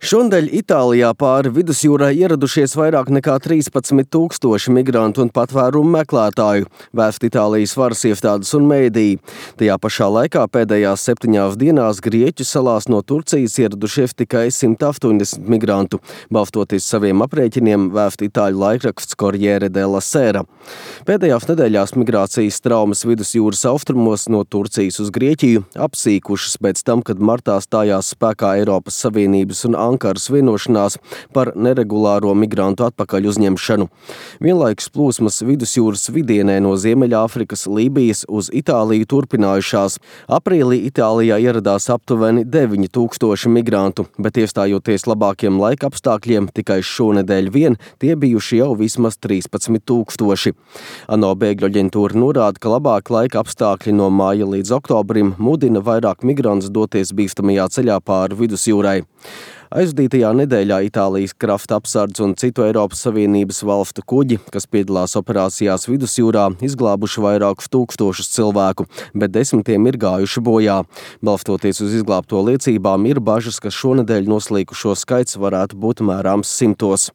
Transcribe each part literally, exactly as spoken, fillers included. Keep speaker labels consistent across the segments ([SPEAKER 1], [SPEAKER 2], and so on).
[SPEAKER 1] Šonadēļ Itālijā pāri vidusjūrai ieradušies vairāk nekā trīspadsmit tūkstoši migrantu un patvērumu meklētāju, vēst Itālijas varas iestādes un mēdīji. Tajā pašā laikā pēdējās septiņās dienās Grieķu salās no Turcijas ieradušies tikai simt astoņdesmit migrantu, balstoties saviem aprēķiniem, vēst itāļu laikraksts Corriere della Sera. Pēdējās nedēļās migrācijas traumas vidusjūras austrumos no Turcijas uz Grieķiju apsīkušas pēc tam, kad martā stājās spēkā Eiropas Savienības un Ankaras vienošanās par neregulāro migrantu atpakaļ uzņemšanu. Vienlaikus plūsmas vidusjūras vidienē no Ziemeļāfrikas, Lībijas uz Itāliju turpinājušās. Aprīlī Itālijā ieradās aptuveni deviņi tūkstoši migrantu, bet iestājoties labākiem laika apstākļiem, tikai šonedēļ vien tie bijuši jau vismaz trīspadsmit tūkstoši. ANO bēgļu aģentūra norāda, ka labāk laika apstākļi no māja līdz oktobrim mudina vairāk migrantus doties bīstamajā ceļā pāri vidusjūrai. Aizdītajā nedēļā Itālijas krasta apsardz un citu Eiropas Savienības valstu kuģi, kas piedalās operācijās vidusjūrā, izglābuši vairākus tūkstošus cilvēku, bet desmitiem ir gājuši bojā. Balstoties uz izglābto liecībām, ir bažas, ka šonedēļ noslīkušo skaits varētu būt mērāms simtos.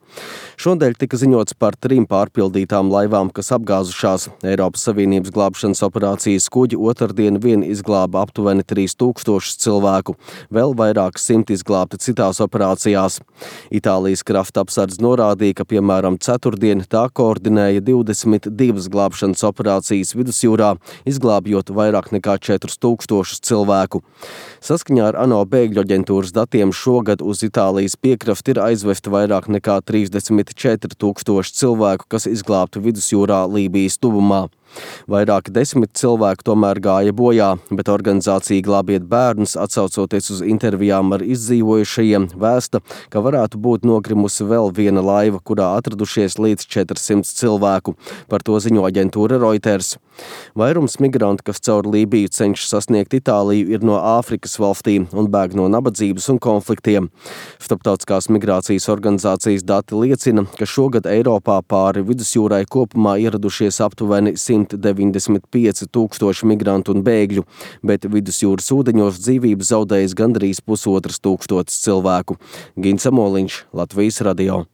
[SPEAKER 1] Šonedēļ tika ziņots par trim pārpildītām laivām, kas apgāzušās. Eiropas Savienības glābšanas operācijas kuģi otrdien vien izglāba aptuveni trīs tūkstošus cilvēku, vēl vairāk simt izglābti citās operācijās. Itālijas krasta apsardz norādīja, ka, piemēram, ceturtdien tā koordinēja divdesmit divas glābšanas operācijas vidusjūrā, izglābjot vairāk nekā četrus tūkstošus cilvēku. Saskaņā ar ANO bēgļu aģentūras datiem šogad uz Itālijas piekrasti ir aizvesti vairāk nekā trīsdesmit četri tūkstoši cilvēku, kas izglābtu vidusjūrā Lībijas tuvumā. Vairāki desmit cilvēku tomēr gāja bojā, bet organizācija Glābiet bērnus, atsaucoties uz intervijām ar izdzīvojušajiem, vēsta, ka varētu būt nogrimusi vēl viena laiva, kurā atradušies līdz četrsimt cilvēku. Par to ziņo aģentūra Reuters. Vairums migrantu, kas caur Lībiju cenšas sasniegt Itāliju, ir no Āfrikas valstīm un bēg no nabadzības un konfliktiem. Starptautiskās migrācijas organizācijas dati liecina, ka šogad Eiropā pāri vidusjūrai kopumā ieradušies aptuveni simt deviņdesmit pieci tūkstoši migrantu un bēgļu, bet vidusjūras ūdeņos dzīvību zaudējis gandrīz pusotras tūkstotis cilvēku. Gins Amoliņš, Latvijas radio.